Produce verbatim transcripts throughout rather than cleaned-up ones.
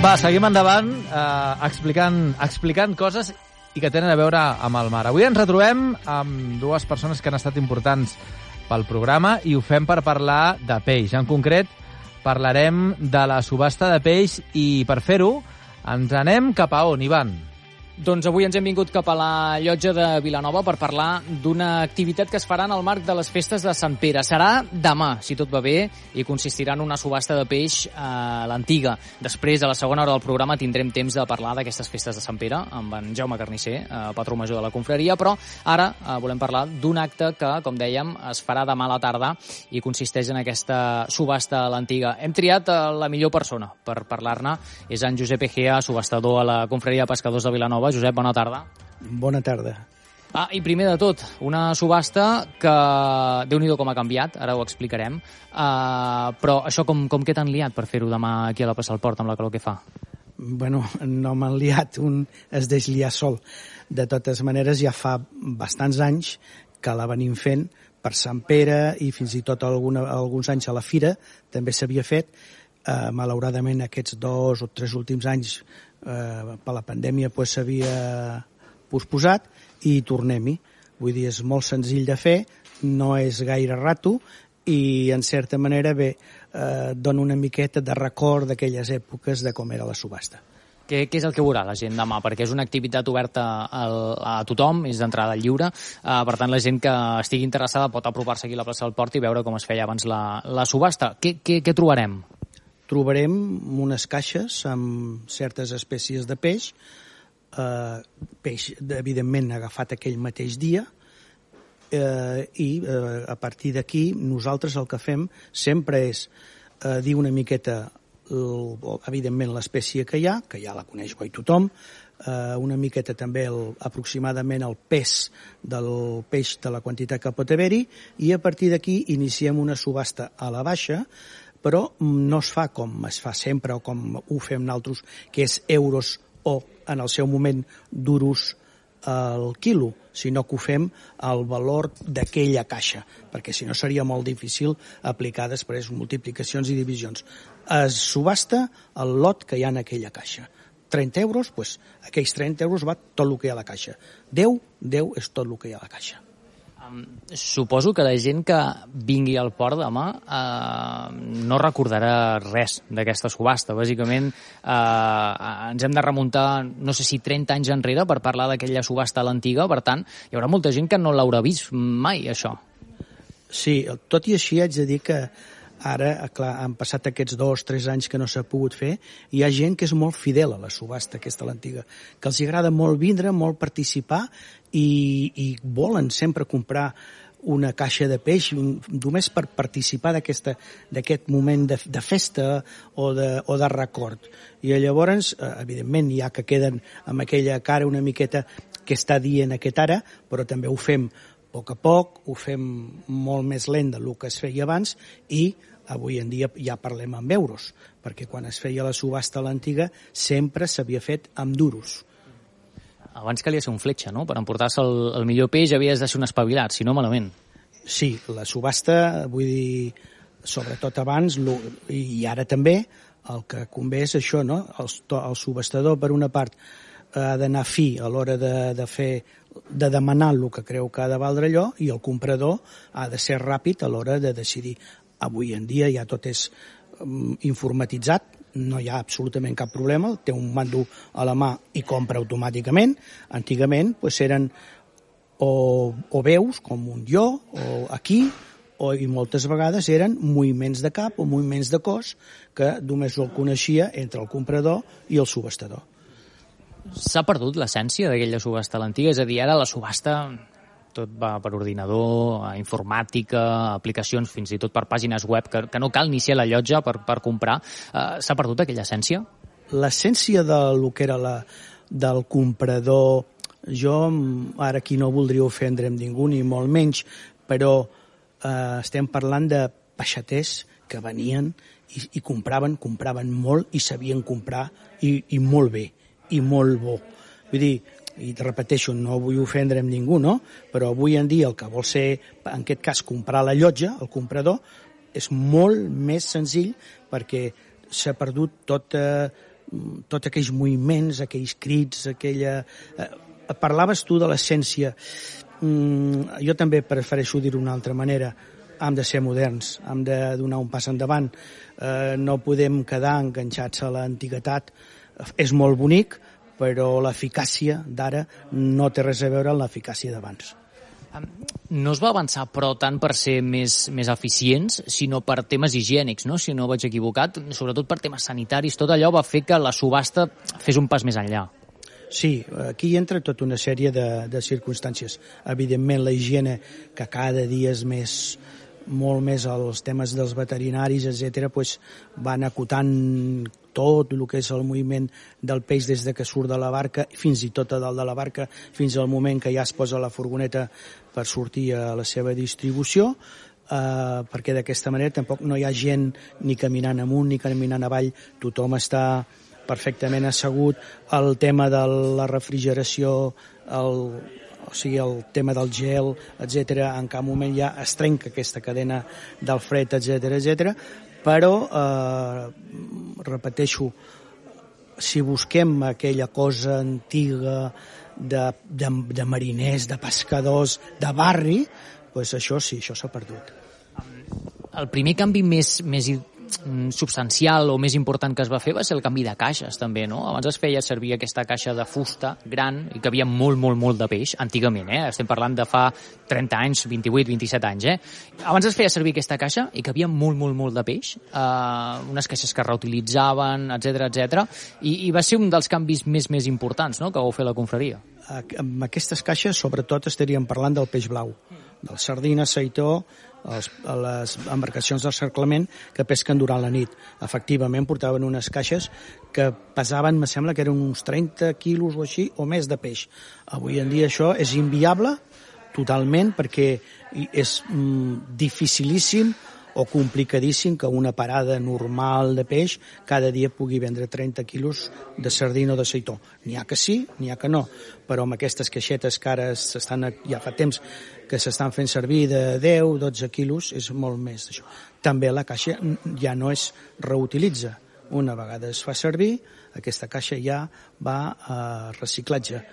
Va, seguim endavant eh, explicant, explicant coses i que tenen a veure amb el mar. Avui ens retrobem amb dues persones que han estat importants pel programa i ho fem per parlar de peix. En concret, parlarem de la subhasta de peix i per fer-ho ens anem cap a on, Ivan? Doncs avui ens hem vingut cap a la llotja de Vilanova per parlar d'una activitat que es farà en el marc de les festes de Sant Pere. Serà demà, si tot va bé, i consistirà en una subhasta de peix a l'Antiga. Després, a la segona hora del programa, tindrem temps de parlar d'aquestes festes de Sant Pere amb en Jaume Carnisser, patró major de la confraria, però ara volem parlar d'un acte que, com dèiem, es farà demà a la tarda i consisteix en aquesta subhasta a l'Antiga. Hem triat la millor persona per parlar-ne. És en Josep Egea, subhastador a la confraria de pescadors de Vilanova. Josep, bona tarda. Bona tarda. Ah, i primer de tot, una subhasta que Déu-n'hi-do com ha canviat, ara ho explicarem, uh, però això com, com que t'han liat per fer-ho demà aquí a la Plaça del Port amb la calor que fa? Bueno, no m'han liat, un es deix liar sol. De totes maneres, ja fa bastants anys que la venim fent per Sant Pere i fins i tot alguna, alguns anys a la Fira també s'havia fet. Uh, malauradament aquests dos o tres últims anys uh, per la pandèmia pues, s'havia posposat i tornem-hi. Vull dir, és molt senzill de fer, no és gaire rato i en certa manera bé, uh, dona una miqueta de record d'aquelles èpoques de com era la subhasta. Què, què és el que veurà la gent demà? Perquè és una activitat oberta al, a tothom, és d'entrada lliure, uh, per tant la gent que estigui interessada pot apropar-se aquí a la plaça del Port i veure com es feia abans la, la subhasta. Què, què, què trobarem? Trobarem unes caixes amb certes espècies de peix, eh, peix evidentment agafat aquell mateix dia, eh, i eh, a partir d'aquí nosaltres el que fem sempre és eh, dir una miqueta el, evidentment l'espècie que hi ha, que ja la coneix guai tothom, eh, una miqueta també el, aproximadament el pes del peix, de la quantitat que pot haver-hi, i a partir d'aquí iniciem una subhasta a la baixa, però no es fa com es fa sempre o com ho fem nosaltres, que és euros o, en el seu moment, duros al quilo, sinó que ho fem al valor d'aquella caixa, perquè si no seria molt difícil aplicar després multiplicacions i divisions. Es subhasta el lot que hi ha en aquella caixa. trenta euros, doncs aquells trenta euros va tot el que hi ha a la caixa. deu, deu és tot el que hi ha a la caixa. Um, suposo que la gent que vingui al port demà uh, no recordarà res d'aquesta subhasta. Bàsicament uh, ens hem de remuntar, no sé si trenta anys enrere per parlar d'aquella subhasta a l'Antiga, per tant, hi haurà molta gent que no l'haurà vist mai, això. Sí, tot i així haig de dir que ara, clar, han passat aquests dos, tres anys que no s'ha pogut fer, hi ha gent que és molt fidel a la subhasta aquesta a l'Antiga, que els agrada molt vindre, molt participar i, i volen sempre comprar una caixa de peix només per participar d'aquest moment de, de festa o de, o de record. I llavors, evidentment, hi ha que queden amb aquella cara una miqueta que està dient aquest ara, però també ho fem a poc a poc, ho fem molt més lent del que es feia abans i avui en dia ja parlem amb euros, perquè quan es feia la subhasta a l'Antiga sempre s'havia fet amb duros. Abans calia ser un fletxa, no? Per emportar-se el, el millor peix havies de ser un espavilat, si no malament. Sí, la subhasta, vull dir, sobretot abans i ara també, el que convé és això, no? El, el subhastador, per una part, ha d'anar fi a l'hora de, de fer de demanar el que creu que ha de valdre allò i el comprador ha de ser ràpid a l'hora de decidir. Avui en dia ja tot és um, informatitzat, no hi ha absolutament cap problema, té un mando a la mà i compra automàticament. Antigament pues, eren o, o veus, com un jo, o aquí, o, i moltes vegades eren moviments de cap o moviments de cos que només el coneixia entre el comprador i el subhastador. S'ha perdut l'essència d'aquella subhasta a l'Antiga? És a dir, ara la subhasta tot va per ordinador, informàtica, aplicacions, fins i tot per pàgines web, que, que no cal ni ser a la llotja per, per comprar. Uh, S'ha perdut aquella essència? L'essència del que era la, del comprador, jo ara aquí no voldria ofendre amb ningú, ni molt menys, però eh, estem parlant de peixaters que venien i, i compraven, compraven molt i sabien comprar i, i molt bé, i molt bo. Vull dir, i repeteixo, no vull ofendre amb ningú, no? Però avui en dia el que vol ser, en aquest cas, comprar la llotja, el comprador, és molt més senzill perquè s'ha perdut tot, eh, tots aquells moviments, aquells crits, aquella... Eh, parlaves tu de l'essència. Mm, jo també prefereixo dir-ho d'una altra manera. Hem de ser moderns, hem de donar un pas endavant. Eh, no podem quedar enganxats a l'antiguitat. És molt bonic, però l'eficàcia d'ara no té res a veure amb l'eficàcia d'abans. No es va avançar, però, tant per ser més, més eficients, sinó per temes higiènics, no? Si no vaig equivocat, sobretot per temes sanitaris. Tot allò va fer que la subhasta fes un pas més enllà. Sí, aquí entra tota una sèrie de, de circumstàncies. Evidentment, la higiene, que cada dia és més, molt més als temes dels veterinaris, etcètera, pues, van acotant tot el que és el moviment del peix des de que surt de la barca, fins i tot a dalt de la barca, fins al moment que ja es posa la furgoneta per sortir a la seva distribució, eh, perquè d'aquesta manera tampoc no hi ha gent ni caminant amunt ni caminant avall, tothom està perfectament assegut. El tema de la refrigeració, el, o sigui, el tema del gel, etcètera, en cap moment ja es trenca aquesta cadena del fred, etcètera, etcètera. Però, eh, repeteixo, si busquem aquella cosa antiga de, de, de mariners, de pescadors, de barri, doncs això sí, això s'ha perdut. El primer canvi més, més substancial o més important que es va fer va ser el canvi de caixes, també, no? Abans es feia servir aquesta caixa de fusta gran i que havia molt, molt, molt de peix, antigament, eh? Estem parlant de fa trenta anys, vint-i-vuit, vint-i-set anys, eh? Abans es feia servir aquesta caixa i que havia molt, molt, molt de peix, eh, unes caixes que reutilitzaven, etcètera, etcètera, i, i va ser un dels canvis més, més importants, no?, que vau fer la confraria. Amb aquestes caixes, sobretot, estaríem parlant del peix blau, del sardina, seitó, els, les embarcacions del cerclament que pesquen durant la nit. Efectivament, portaven unes caixes que pesaven, me sembla que eren uns trenta quilos o així, o més de peix. Avui en dia això és inviable totalment, perquè és mm, dificilíssim o complicadíssim que una parada normal de peix cada dia pugui vendre trenta quilos de sardina o de seitó. N'hi ha que sí, n'hi ha que no, però amb aquestes caixetes que ara s'estan, ja fa temps que s'estan fent servir de deu a dotze quilos, és molt més d'això. També la caixa ja no es reutilitza. Una vegada es fa servir, aquesta caixa ja va a reciclatge.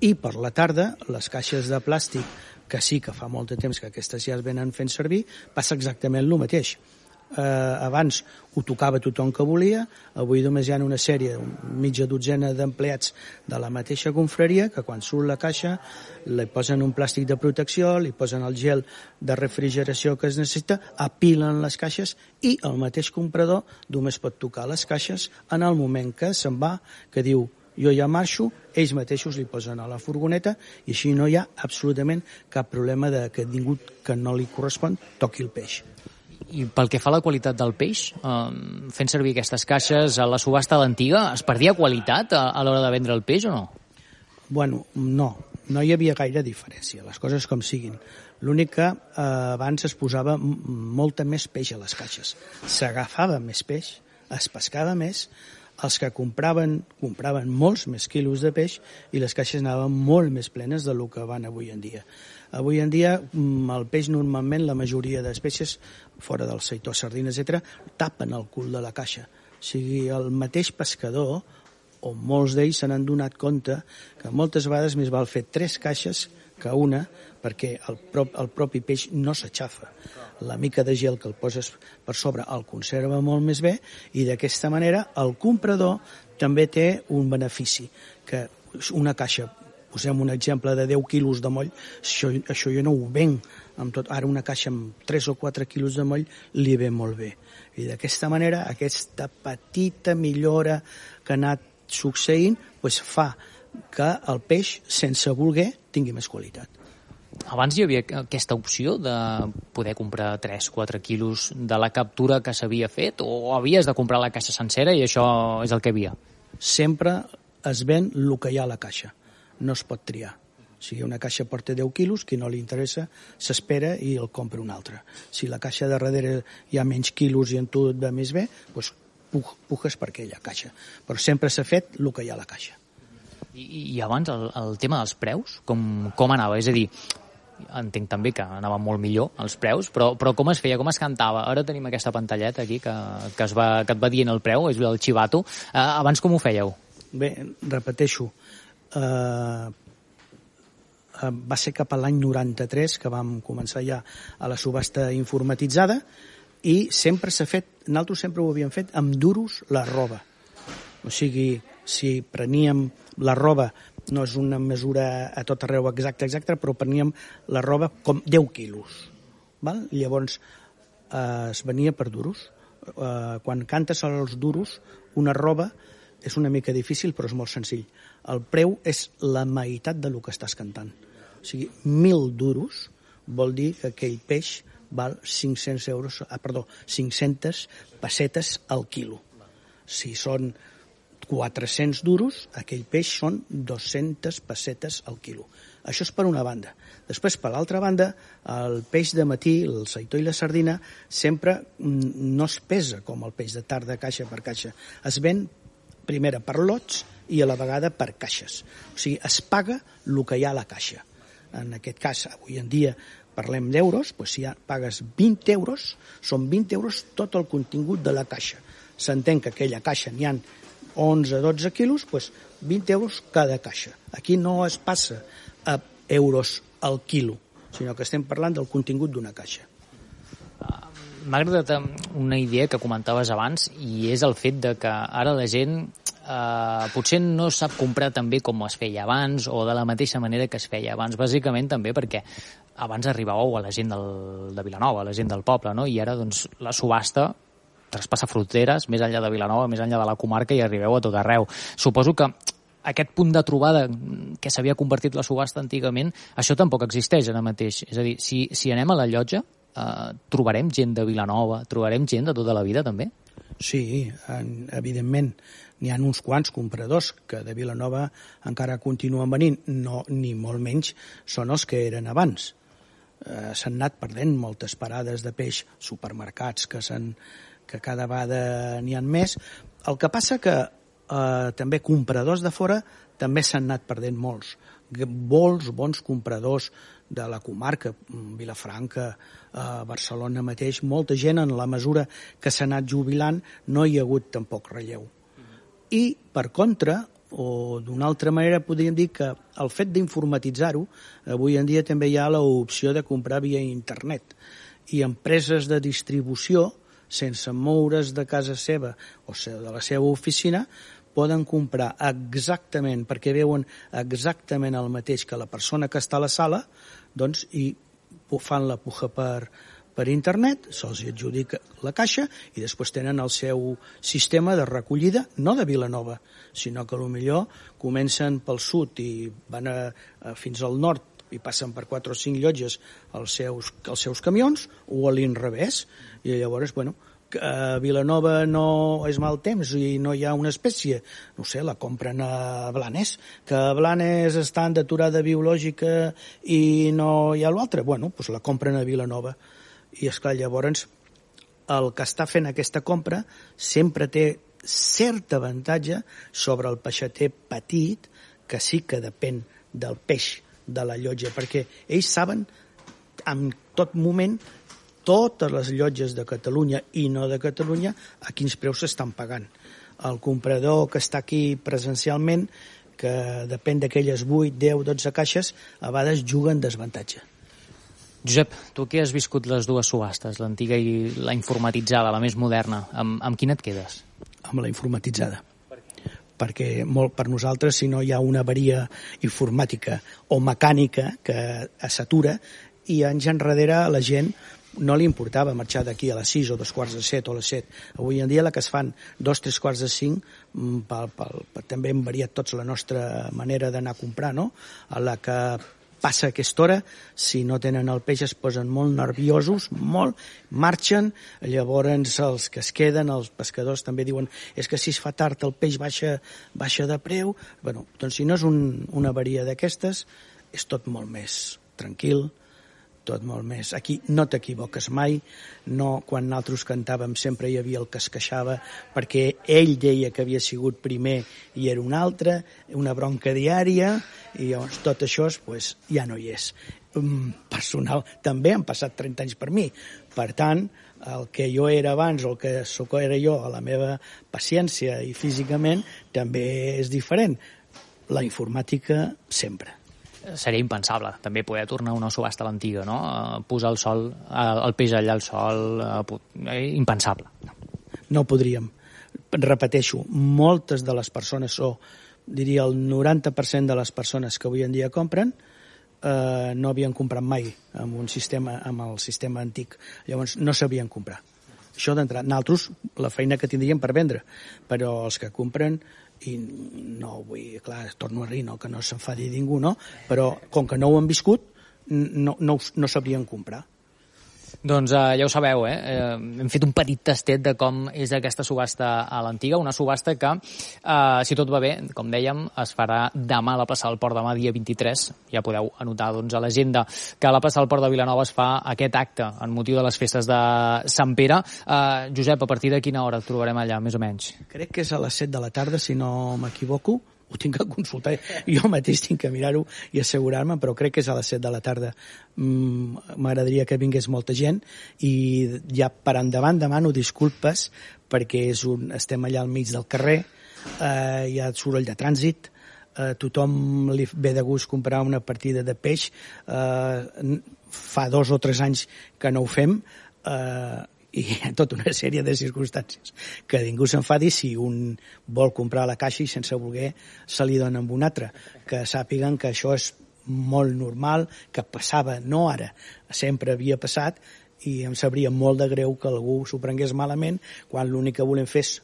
I per la tarda, les caixes de plàstic, que sí que fa molt de temps que aquestes ja es venen fent servir, passa exactament el mateix. Eh, abans ho tocava tothom que volia, avui només hi ha una sèrie, mitja dotzena d'empleats de la mateixa confraria, que quan surt la caixa li posen un plàstic de protecció, li posen el gel de refrigeració que es necessita, apilen les caixes i el mateix comprador només pot tocar les caixes en el moment que se'n va, que diu jo ja marxo, ells mateixos li posen a la furgoneta i així no hi ha absolutament cap problema de que ningú que no li correspon toqui el peix. I pel que fa a la qualitat del peix, eh, fent servir aquestes caixes a la subhasta a l'antiga, es perdia qualitat a, a l'hora de vendre el peix o no? Bueno, no, no hi havia gaire diferència, les coses com siguin. L'únic que eh, abans es posava molta més peix a les caixes. S'agafava més peix, es pescava més, els que compraven, compraven molts més quilos de peix i les caixes anaven molt més plenes del que van avui en dia. Avui en dia el peix normalment, la majoria d'espècies, fora del seitó, sardina, etcètera, tapen el cul de la caixa. O sigui, el mateix pescador, o molts d'ells se n'han donat compte que moltes vegades més val fer tres caixes que una, perquè el, prop, el propi peix no s'aixafa. La mica de gel que el poses per sobre el conserva molt més bé i d'aquesta manera el comprador també té un benefici, que una caixa, posem un exemple de deu quilos de moll, això, això jo no ho venc amb tot. Ara una caixa amb tres o quatre quilos de moll li ve molt bé. I d'aquesta manera aquesta petita millora que ha anat succeint pues, fa que el peix, sense voler, tingui més qualitat. Abans hi havia aquesta opció de poder comprar tres o quatre quilos de la captura que s'havia fet o havies de comprar la caixa sencera i això és el que hi havia? Sempre es ven el que hi ha a la caixa. No es pot triar. Si una caixa porta deu quilos, qui no li interessa s'espera i el compra una altra. Si la caixa de darrere hi ha menys quilos i en tu et va més bé, doncs pujes per aquella caixa. Però sempre s'ha fet el que hi ha a la caixa. I, i abans el, el tema dels preus, com, com anava? És a dir, entenc també que anaven molt millor els preus, però, però com es feia, com es cantava? Ara tenim aquesta pantalleta aquí que, que, es va, que et va dient el preu, és el xivato. Uh, abans com ho fèieu? Bé, repeteixo, uh, uh, va ser cap a l'any noranta-tres que vam començar ja a la subhasta informatitzada i sempre s'ha fet, nosaltres sempre ho havíem fet amb duros la roba. O sigui, si preníem la roba, no és una mesura a tot arreu exacta, exacta, però preníem la roba com deu quilos. Val? Llavors eh, es venia per duros. Eh, quan cantes els duros, una roba és una mica difícil, però és molt senzill. El preu és la meitat del que estàs cantant. O sigui, mil duros vol dir que aquell peix val cinc-cents euros, ah, perdó, cinc-centes pessetes al quilo. Si són quatre-cents duros, aquell peix són dues-centes pessetes al quilo. Això és per una banda. Després, per l'altra banda, el peix de matí, el seitó i la sardina, sempre no es pesa com el peix de tarda, caixa per caixa. Es ven primera per lots i a la vegada per caixes. O sigui, es paga el que hi ha a la caixa. En aquest cas, avui en dia, parlem d'euros, doncs si ja pagues vint euros, són vint euros tot el contingut de la caixa. S'entén que aquella caixa n'hi ha onze dotze quilos, doncs vint euros cada caixa. Aquí no es passa a euros al quilo, sinó que estem parlant del contingut d'una caixa. M'ha agradat una idea que comentaves abans i és el fet de que ara la gent eh, potser no sap comprar tan bé com es feia abans o de la mateixa manera que es feia abans, bàsicament també perquè abans arribàveu a la gent del, de Vilanova, a la gent del poble, no? I ara doncs la subhasta traspassa fronteres, més enllà de Vilanova, més enllà de la comarca i arribeu a tot arreu. Suposo que aquest punt de trobada que s'havia convertit la subhasta antigament, això tampoc existeix ara mateix. És a dir, si, si anem a la llotja, eh, trobarem gent de Vilanova, trobarem gent de tota la vida també? Sí, en, evidentment. N'hi ha uns quants compradors que de Vilanova encara continuen venint, no, ni molt menys són els que eren abans. Eh, s'han anat perdent moltes parades de peix, supermercats que s'han que cada vegada n'hi ha més. El que passa que eh, també compradors de fora també s'han anat perdent molts. Molts bons compradors de la comarca, Vilafranca, eh, Barcelona mateix, molta gent en la mesura que s'ha anat jubilant no hi ha hagut tampoc relleu. I, per contra, o d'una altra manera podríem dir que el fet d'informatitzar-ho, avui en dia també hi ha l'opció de comprar via internet. I empreses de distribució, sense moure's de casa seva o de la seva oficina, poden comprar exactament, perquè veuen exactament el mateix que la persona que està a la sala, doncs, i fan la puja per, per internet, se'ls adjudica la caixa i després tenen el seu sistema de recollida, no de Vilanova, sinó que potser comencen pel sud i van a, a, fins al nord i passen per quatre o cinc llotges els seus, els seus camions, o a l'inrevés, i llavors, bueno, a Vilanova no és mal temps i no hi ha una espècie, no sé, la compren a Blanes, que a Blanes estan d'aturada biològica i no hi ha l'altre, bueno, doncs la compren a Vilanova. I esclar, llavors, el que està fent aquesta compra sempre té cert avantatge sobre el peixater petit, que sí que depèn del peix de la llotja, perquè ells saben en tot moment totes les llotges de Catalunya i no de Catalunya a quins preus s'estan pagant. El comprador que està aquí presencialment, que depèn d'aquelles vuit, deu, dotze caixes, a vegades juga en desavantatge. Josep, tu que has viscut les dues subhastes, l'antiga i la informatitzada, la més moderna, amb, amb quina et quedes? Amb la informatitzada. Perquè molt per nosaltres, si no hi ha una avaria informàtica o mecànica que s'atura, i anys enrere la gent no li importava marxar d'aquí a les sis o dos quarts de set o a les set. Avui en dia la que es fan dos, tres quarts de cinc, pel, pel, pel, també hem variat tots la nostra manera d'anar a comprar, no? A la que passa aquesta hora, si no tenen el peix es posen molt nerviosos, molt, marxen, llavors els que es queden, els pescadors també diuen és que si es fa tard el peix baixa, baixa de preu. Bueno, doncs si no és un, una avaria d'aquestes, és tot molt més tranquil, tot molt més. Aquí no t'equivoques mai, no, quan nosaltres cantàvem sempre hi havia el que es queixava perquè ell deia que havia sigut primer i era un altre, una bronca diària, i llavors tot això pues, ja no hi és. personal també han passat trenta anys per mi. Per tant, el que jo era abans o el que sóc era jo, a la meva paciència i físicament, també és diferent. La informàtica, sempre. Seria impensable, també, poder tornar a una subhasta a l'antiga, no? Posar el sol, el peix allà al sol, impensable. No podríem. Repeteixo, moltes de les persones, o diria el noranta per cent de les persones que avui en dia compren, eh, no havien comprat mai amb un sistema, amb el sistema antic. Llavors no sabien comprar. Això d'entrar. Nosaltres, la feina que tindríem per vendre, però els que compren, i no vull, clar, torno a dir, no, que no s'enfadi ningú, no? Però com que no ho han viscut, no, no, no sabrien comprar. Doncs eh, ja ho sabeu, eh? eh? Hem fet un petit tastet de com és aquesta subhasta a l'antiga, una subhasta que, eh, si tot va bé, com dèiem, es farà demà a la plaça del Port, demà dia vint-i-tres. Ja podeu anotar doncs, a l'agenda que a la plaça del Port de Vilanova es fa aquest acte en motiu de les festes de Sant Pere. Eh, Josep, a partir de quina hora et trobarem allà, més o menys? Crec que és a les set de la tarda, si no m'equivoco. Ho tinc que consultar, jo mateix tinc que mirar-ho i assegurar-me, però crec que és a les set de la tarda. M'agradaria que vingués molta gent i ja per endavant demano disculpes perquè és un, estem allà al mig del carrer, eh, hi ha soroll de trànsit, eh, tothom li ve de gust comprar una partida de peix, eh, fa dos o tres anys que no ho fem, eh, i hi ha tota una sèrie de circumstàncies que ningú s'enfadi si un vol comprar a la caixa i sense voler se li dona amb un altre, que sàpiguen que això és molt normal, que passava, no ara, sempre havia passat, i em sabria molt de greu que algú s'ho prengués malament quan l'únic que volem fer és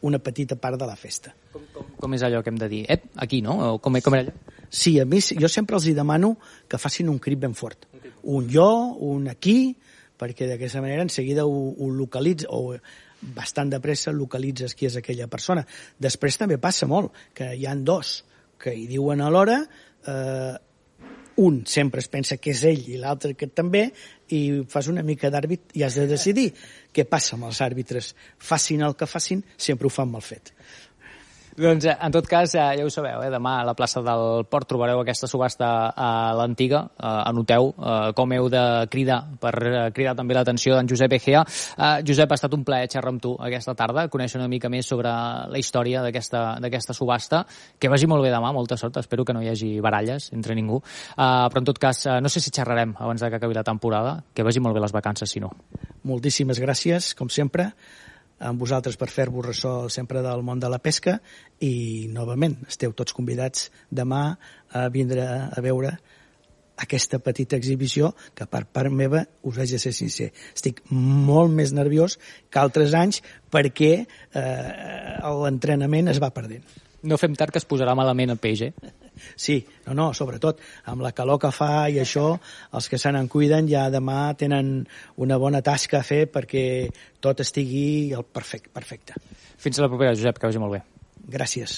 una petita part de la festa. Com, com, com és allò que hem de dir? Ep, aquí, no? Com, com era allò? Sí, a mi, jo sempre els hi demano que facin un crit ben fort. Un jo, un aquí, perquè d'aquesta manera en seguida ho, ho localitza, o bastant de pressa localitzes qui és aquella persona. Després també passa molt, que hi han dos que hi diuen alhora, eh, un sempre es pensa que és ell i l'altre que també, i fas una mica d'àrbit i has de decidir què passa amb els àrbitres. Facin el que facin, sempre ho fan mal fet. Doncs, en tot cas, ja ho sabeu, eh? Demà a la plaça del Port trobareu aquesta subhasta a l'antiga. Eh, anoteu eh, com heu de cridar per cridar també l'atenció d'en Josep Egea. Eh, Josep, ha estat un plaer xerrar amb tu aquesta tarda, conèixer una mica més sobre la història d'aquesta subhasta. Que vagi molt bé demà, molta sort. Espero que no hi hagi baralles entre ningú. Eh, però, en tot cas, eh, no sé si xerrarem abans de que acabi la temporada. Que vagi molt bé les vacances, si no. Moltíssimes gràcies, com sempre, amb vosaltres per fer-vos ressò sempre del món de la pesca, i novament esteu tots convidats demà a vindre a veure aquesta petita exhibició que per part meva us haig de ser sincer. Estic molt més nerviós que altres anys perquè eh, l'entrenament es va perdent. No fem tard que es posarà malament el peix, eh? Sí, no, no, sobretot amb la calor que fa i això, els que se n'en cuiden ja demà tenen una bona tasca a fer perquè tot estigui al perfecte. perfecte. Fins a la propera, Josep, que vagi molt bé. Gràcies.